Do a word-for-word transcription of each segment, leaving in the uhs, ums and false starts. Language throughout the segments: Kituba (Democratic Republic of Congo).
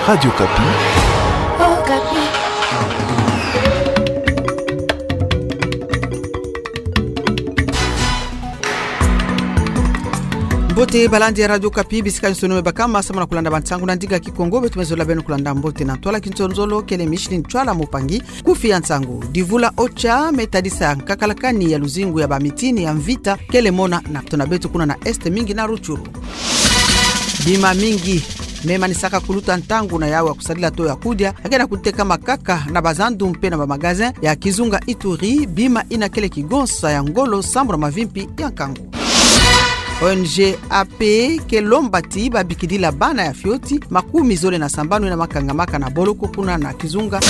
Radio Okapi. Mbote balandi ya Radio Okapi, bisika nyonso beno me bakama samu na kulanda bansangu na ndinga Kikongo. Beto me zola beno kulanda mbote na ntwala kintozolo, kele Micheline Ntwala mopangi. Kufi ya nsangu: Divula OCHA me tadisa nkakalakani ya luzingu ya bamitini ya mvita kele mona na kota na beto kuna na Est, mingi na Rutshuru. Bima mingi me manisaka kuluta ntangu na yawu ya kusadila to ya kudia, ya ke na kutekama kaka na bazandu mpe na bamagazin ya kizunga Ituri. Bima ina kele kigonsa ya ngolo sambu na mavimpi ya nkangu. ONG AP ke lomba ti babikidila bana ya fioti makumi zole na sambanu ina makangamaka na boloko kuna na kizunga.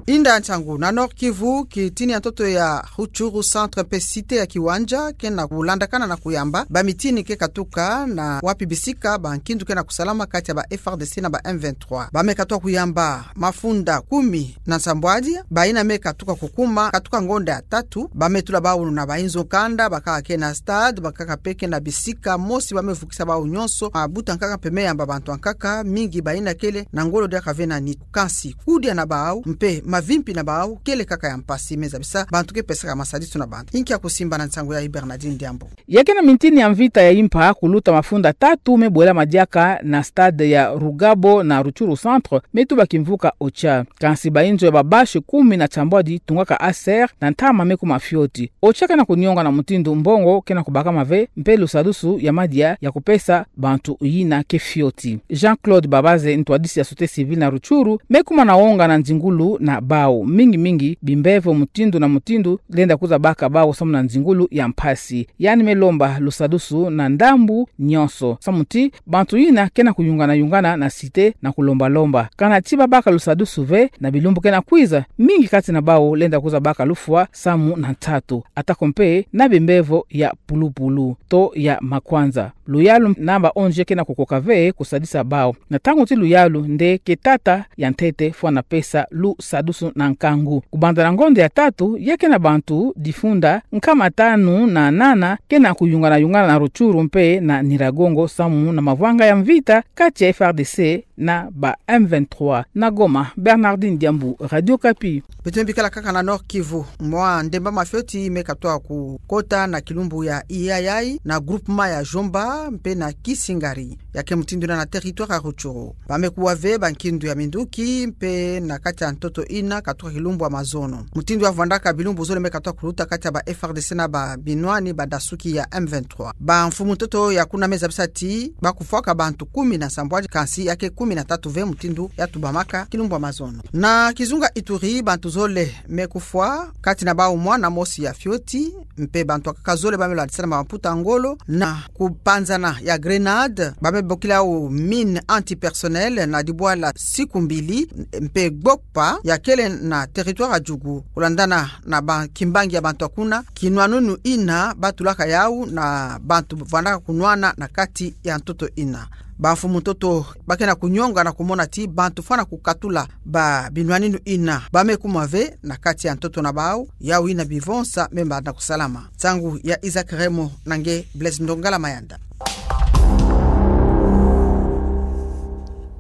Inda nsangu na Nord-Kivu, kitini ya ntoto ya Rutshuru Centre mpe Cité ya Kiwanja ke na kulandakana na kuyamba. Bamitini ke katuka na wapi bisika bankindu ke na kusalama kati ya ba FRDC na ba M vingt-trois. Ba me katuka kuyamba mafunda kumi na nsambwadi, bayina me katuka kukuma, katuka ngonda ya tatu. Ba me tula bawu na bainzo kanda, bakaka ke na stade, bakaka mpe ke na bisika mosi ba me vukisa bawu nyonso. Mabuta nkaka mpe me yamba bantu nkaka, mingi bayina kele na ngolo diaka ve na nitu. Kansi kudia na bawu mpe mavimpi na bawu kele kaka ya mpasi, me zabisa bantu ke pesaka masadisu na bantu. Inki ya kusimba na nsangu yayi, Bernardine Diambu. Ya ke na mitini ya mvita ya impa kuluta mafunda tatu me bwela madiaka na stade ya Rugabo na Rutshuru Centre, me tuba kimvuka OCHA. Kansi bainzo ya babashe kumi na nsambwadi tungaka aser na ntama me kuma fioti. OCHA ke na kunionga na mutindu mbongo ke na kubakama ve, mpe lusadusu ya madia ya kupesa bantu yina ke fioti. Jean-Claude Babaze, ntwadisi ya société civile na Rutshuru, me kuma na wonga na nzingulu na bawu. Mingi mingi bimbevo mutindu na mutindu lenda kuza baka bawu samu na nzingulu ya mpasi. Yandi me lomba lusadusu na ndambu nyonso, samu ti bantu yina ke na kuyungana yungana na cité na kulomba lomba. Kana ti babaka lusadusu ve, na bilumbu ke na kwiza, mingi kati na bawu lenda kuza baka lufwa samu na ntatu, atako mpe na bimbevo ya pulupulu to ya makwanza. Luyalu na ba ONG ke na kukoka ve kusadisa bawu. Na ntangu ti luyalu nde ke tata ya ntete fwana pesa lusadusu na nkangu. Kubanda na ngonda ya tatu, ya ke na bantu difunda nkama tanu na nana ke na kuyungana yungana na Rutshuru mpe na Nyiragongo samu na mavwanga ya mvita kati ya FRDC na ba M vingt-trois. Na Goma, Bernardine Diambu, Radio Okapi. Beto me bikala kaka na Nord-Kivu. Mwa ndemba mafioti me katuka kukota na kilumbu ya Iyayai, na groupement ya Jomba mpe na Kisingari, ya ke mutindu na, na territoire ya Rutshuru. Ba me kuwa ve bankindu ya minduki mpe na kati ya ntoto ina katuka kilumbu ya mazono. Mutindu ya vwandaka, bilumbu zole me katuka kuluta kati ya ba FRDC na ba binwani badasuki ya M vingt-trois. Bamfumu ntoto ya kuna me zabisa ti ba kufwaka bantu kumi na nsambwadi, kansi ya ke kumi na tatu ve mutindu ya tubamaka kilumbu ya mazono. Na kizunga Ituri, bantu zole me kufwa, kati na bawu mwana mosi ya fioti, mpe bantu nkaka zole ba me landisana mamputa ngolo na kupanzana ya grenade. Ba me bokila yawu mine antipersonnel na dibwala siku mbili, mpe gbokpa ya kele na territoire ya Djugu. Kulandana na ba kimbangi ya bantu ya kuna, kinwanunu ina ba tulaka yawu na bantu vwandaka kunwana na kati ya ntoto ina. Bamfumu ntoto ba ke na kunionga na kumona ti bantu fwana kukatula ba binwaninu ina ba me kuma ve na kati ya ntoto na bawu, yawu ina bivonsa me banda kusalama. Nsangu ya Isaac Remo na nge Blaise Ndongala Mayanda.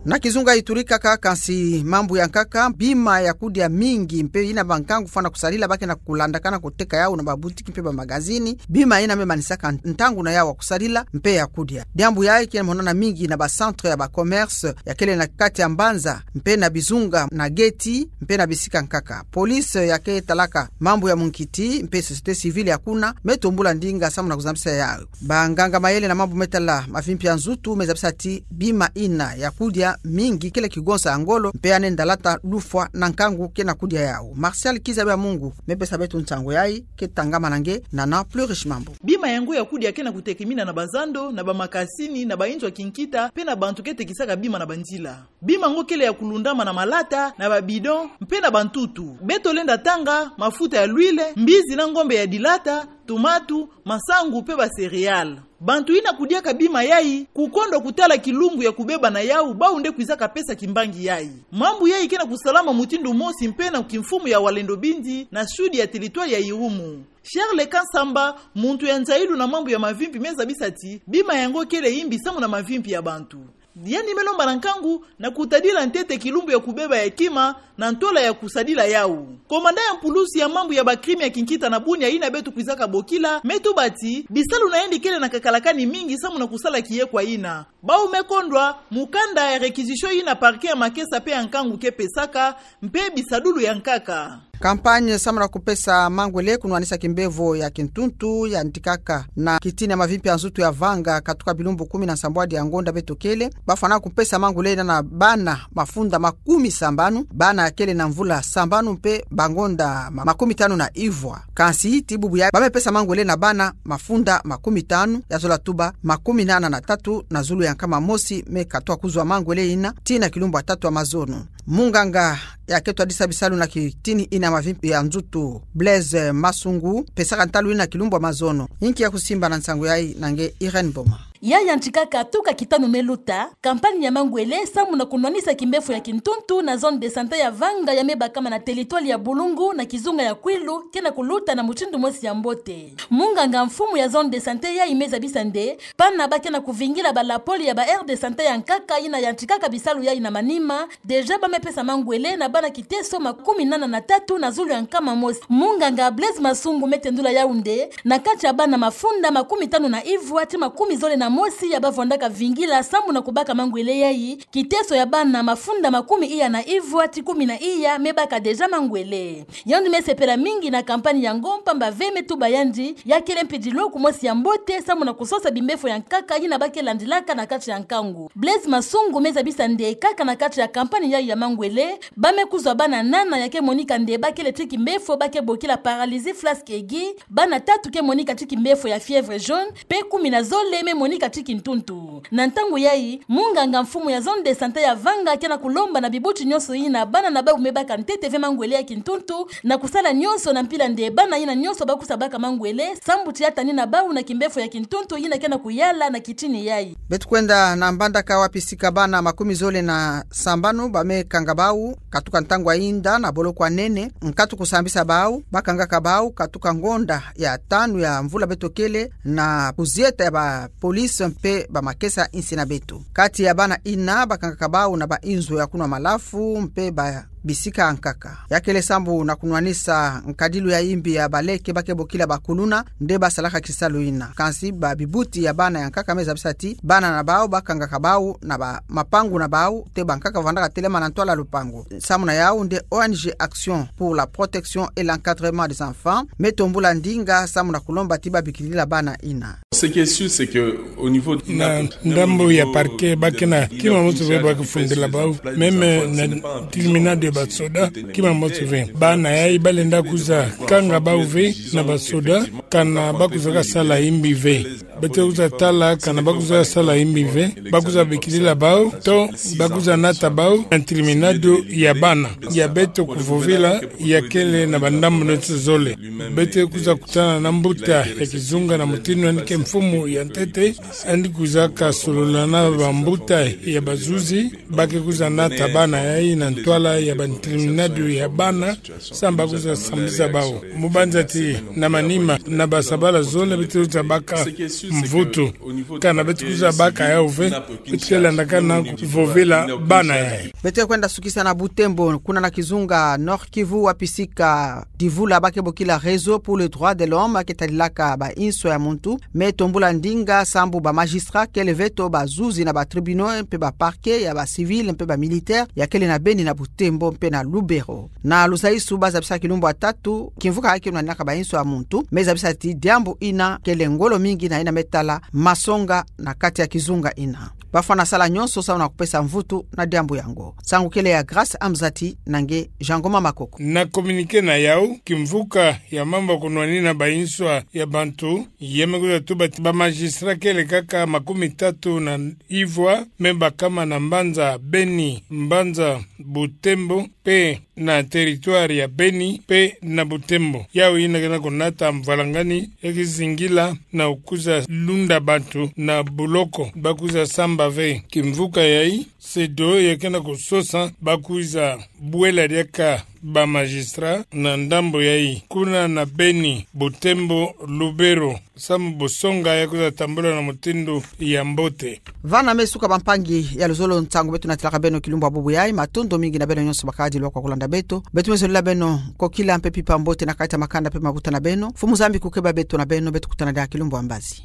Na kizunga Ituri kaka, kansi mambu ya nkaka, bima ya kudia mingi mpe ina bankangu fwana kusadila ba ke na kulandakana kuteka yawu na babutiki mpe bamagazini. Bima ina me manisaka ntangu na yawu ya kusadila mpe ya kudia. Diambu yayi ke monana mingi na ba centre ya ba commerce ya kele na kati ya mbanza, mpe na bizunga na geti, mpe na bisika nkaka. Police ya ke talaka mambu ya munkiti mpe société civile ya kuna me tombula ndinga samu na kuzambisa yawu. Banganga mayele na mambu me tala mavimpi ya nzutu me zabisa ti bima ina ya kudia mingi kele kigonsa ya ngolo, mpe ya nenda lata lufwa na nkangu ke na kudia yawu. Martial Kiza Bya Mungu me pesa beto nsangu yayi, ke tangama na nge Nana Plus Riche Mambu. Bima yango ya kudia ke na kutekemina na bazando, na bamakasini, na bainzo ya kinkita, mpe na bantu ke tekisaka bima na banzila. Bima yango kele ya kulundama na malata, na ba bidon, mpe na bantutu. Beto lenda tanga mafuta ya l'huile, mbizi na ngombe ya dilata, tomate, masangu mpe ba céréales. Bantu yina kudiaka bima yayi, kukondwa kutala kilumbu ya kubeba na yawu, bawu nde kwizaka pesa kimbangi yayi. Mambu yayi ke na kusalama mutindu mosi mpe na kimfumu ya Wazalendo bindi, na sud ya territoire ya Irumu. Charles Kansamba, muntu ya nzayilu na mambu ya mavimpi, me zabisa ti bima yango kele yimbi samu na mavimpi ya bantu. Yandi me lomba na nkangu na kutadila ntete kilumbu ya kubeba ya kima na ntwala ya kusadila yawu. Komanda ya mpulusi ya mambu ya ba crime ya kinkita na Bunia yina beto kwizaka bokila, me tuba ti bisalu na yandi kele na kakalakani mingi samu na kusala kiyekwa yina. Bawu me kondwa mukanda ya réquisition yina parquet ya Makesa mpe ya nkangu ke pesaka, mpe bisadulu ya nkaka. Campagne samu na kupesa mangwele kunwanisa kimbevo ya kintuntu yantikaka na kitini ya mavimpi ya nzutu ya Vanga katuka bilumbu kumi na nsambwadi ya ngonda beto kele. Bafwana kupesa mangwele yina na bana mafunda makumi sambanu, bana kele na mvula sambanu mpe bangonda ma-, makumi tanu na ivwa. Kansi ti bubu yayi ba me pesa mangwele na bana mafunda makumi tanu, ya zola tuba makumi nana na tatu na zulu ya nkama mosi me katuka kuzwa mangwele yina tii na kilumbu ya tatu ya mazono. Munganga ya ke twadisa bisalu na kitini yina ya mavimpi ya nzutu, Blaise Masungu, pesaka ntalu yina kilumbu ya mazono. Yinki ya kusimba na nsangu yayi na nge Irène Boma. Yayi yantikaka tuka kitanu me luta, campagne ya mangwele samu na kunwanisa kimbefo ya kintuntu na zone de santé ya Vanga ya me bakama na territoire ya Bulungu na kizunga ya Kwilu ke na kuluta na mutindu mosi ya mbote. Munganga mfumu ya zone de santé yayi me zabisa nde bana ba ke na kuvingila ba lapole ya ba aire de santé ya nkaka yina yantikaka bisalu yayi na manima, déjà ba me pesa mangwele na bana kiteso makumi nana na tatu na zulu ya nkama mosi. Munganga Blaise Masungu me tendula yawu nde na kati ya bana mafunda makumi tanu na ivwa ti makumi zole na mosi ya ba vwandaka vingila samu na kubaka mangwele yayi, kiteso ya bana mafunda makumi iya na ivwa ti kumi na iya me baka déjà mangwele. Yandi me sepela mingi na campagne yango mpamba ve me tuba yandi ya kele mpidilo kumosi ya mbote samu na kusosa bimbefo ya nkaka yina ba ke landilaka na kati ya nkangu. Blaise Masungu me zabisa nde kaka na kati ya campagne yayi ya mangwele, ba me kuzwa bana nana ya ke monika nde ba kele ti kimbefo ba ke bokila paralysie flasque aiguë, bana tatu ke monika ti kimbefo ya fièvre jaune, mpe kumi na zole me monika ti kintuntu. Na ntangu yayi, munganga mfumu ya zone de santé ya Vanga ke na kulomba na bibuti nyonso yina bana na bawu me baka ntete ve mangwele ya kintuntu na kusala nyonso na mpila nde bana yina nyonso ba kwiza baka mangwele, sambu ti ya tani na bawu na kimbefo ya kintuntu yina ke na kuyala na kitini yayi. Beto kwenda na Mbandaka wapi sika bana makumi zole na sambanu ba me kanga bawu katuka ntangu ya yinda na boloko ya nene, nkatu kusambisa bawu, ba kangaka bawu katuka ngonda ya tanu ya mvula beto kele, na kuzieta ya ba police mpe ba makesa insi na beto. Kati ya bana yina ba kangaka bawu na ba inzo ya kunwa malafu mpe ba bisika ya nkaka. Ya kele sambu na kunwanisa nkadilu ya yimbi ya baleke ba ke bokila ba kuluna, nde ba salaka kisalu yina. Kansi ba bibuti ya bana ya nkaka me zabisa ti bana na bawu ba kangaka bawu na ba mapangu na bawu, te ba nkaka vwandaka telama na ntwala lupangu. Samu na yawu nde O N G Action pour la protection et l'encadrement des enfants me tombula ndinga samu na kulomba ti ba bikilila bana yina. Ce qui est sûr, c'est que au niveau de Na ndambu ya parquet ba ke na kima mosi ve ba ke fundila bawu, même na tribunal de ba soda, kima mosi ve. Bana yayi ba lenda kwiza kanga bawu ve na ba soda, kana ba kwizaka sala yimbi ve. Beto kwiza tala kana ba kwiza sala yimbi ve, ba kwiza bikilila bawu, to ba kwiza nata bawu na tribunal ya bana ya beto kuvovila ya kele na ba ndambu neti zole. Beto kwiza kutana na mbuta ya kizunga na mutindu yandi ke mfumu ya ntete, yandi kwizaka solola na ba mbuta ya bazuzi, ba ke kwiza nata bana yayi na ntwala ya ba tribunal ya bana, sambu ba kwiza sambisa bawu. Mu banza ti na manima na ba sabala zole beto kwiza baka mvutu. Kana beto kwiza baka yawu ve, beto ke landaka na kuvovila bana yayi. Beto kwenda sukisa na Butembo, kuna na kizunga Nord-Kivu wapi sika Divula ba ke bokila Réseau pour le droit de l'homme ke tadilaka ba inso ya muntu, me tombula ndinga sambu ba magistrat kele ve to bazuzi na ba tribunaux mpe ba parquet ya ba civil mpe ba militaire ya kele na Beni, na Butembo mpe na Lubero. Na Luzaisu ba zabisa kilumbu ya tatu kimvuka ke nwaninaka ba inso ya muntu, me zabisa ti diambu yina kele ngolo mingi na yina me tala masonga na kati ya kizunga yina. Ba fwana sala nyonso samu na kupesa mvutu na diambu yango. Nsangu kele ya Grâce Amzati na nge Jean Ngoma Makoko. Na communiqué na yawu, kimvuka ya mambu ya kunwanina ba inso ya bantu, ya me kwiza tuba ti ba magistrat kele kaka makumi tatu na ivwa me bakama na mbanza Beni, mbanza Butembo, mpe na territoire ya Beni pe na Butembo. Yau ina ke na konata mvalangani ya kizingila na kuza lunda bantu na buloko ba kuza samba ve kimvuka yayi, SEDEAO ya ke na kososa ba kuza bwela diaka ba magistrat na ndambo yayi. Kuna na Beni, Butembo, Lubero, samu bosonga ya kuza tambula na mutindu ya mbote. Vana me suka, bampangi ya luzolo, nsangu beto natilaka beno kilumbu ya bubu yayi. Matondo mingi na beno nyonso bakadi lwa kwa kulanda beto. Beto me zolila beno kokila mpe mpimpa mbote na kati ya makanda mpe mabuta na beno. Mfumu Nzambi kukeba beto na beno, beto kutana diaka kilumbu ya mbazi.